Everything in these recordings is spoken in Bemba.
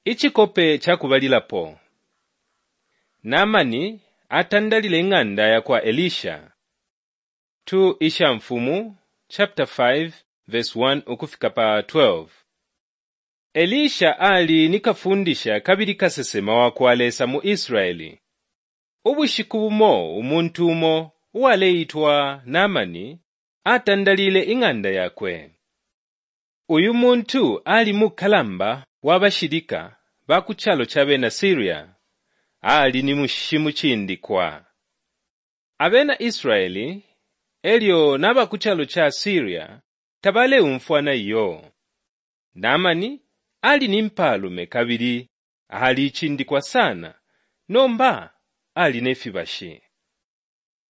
Icikope ca kubalilapo, Naamani atandalile ing'anda ya kwa Elisha. 2 Ishamfumu chapter 5 verse 1 ukufika pa 12. Elisha ali ni kafundisha kabili kasesema wa kwa Lesa mu Israeli. Ubushiku bumo umuntu umo uwaleitwa Naamani atandalile ing'anda yakwe. Uyu muntu ali mukalamba wa bashilika ba ku calo ca bena Siria. Ali ni shimucindikwa. Abena Israeli e lyo na ba ku calo ca Siria tabaleumfwana iyo. Naamani ali ni mpalume kabili alicindikwa sana, nomba ali ne fibashi.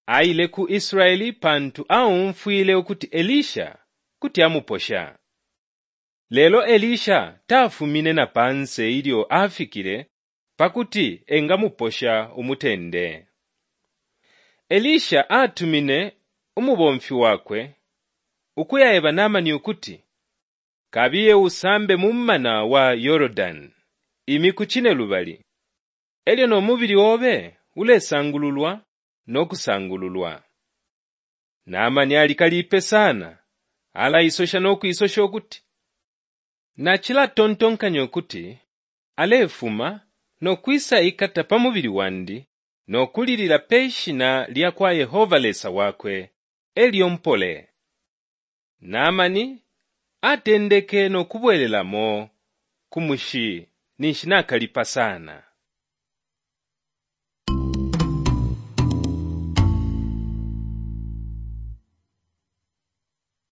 Aile ku Israeli pantu aumfwile ukuti Elisha kuti amuposha. Lelo Elisha tafumine na panse ilyo afikile pa kuti engamuposha umutende. Elisha atumine umubomfi wakwe ukuyaeba Naamani ukuti, Kabiye usambe mu mumana wa Yordani imiku cinelubali, e lyo no mubili obe ulesangululwa no kusangululwa. Naamani alikalipe sana, alaisosha no kuisosha ukuti, Nacilatontonkanya ukuti alefuma no kwisaikata pa mubili wandi no kulilila pe shina lya kwa Yehova Lesa wakwe, e lyo mpole. Naamani atendeke no kubwelelamo ku mushi ninshi nakalipa sana.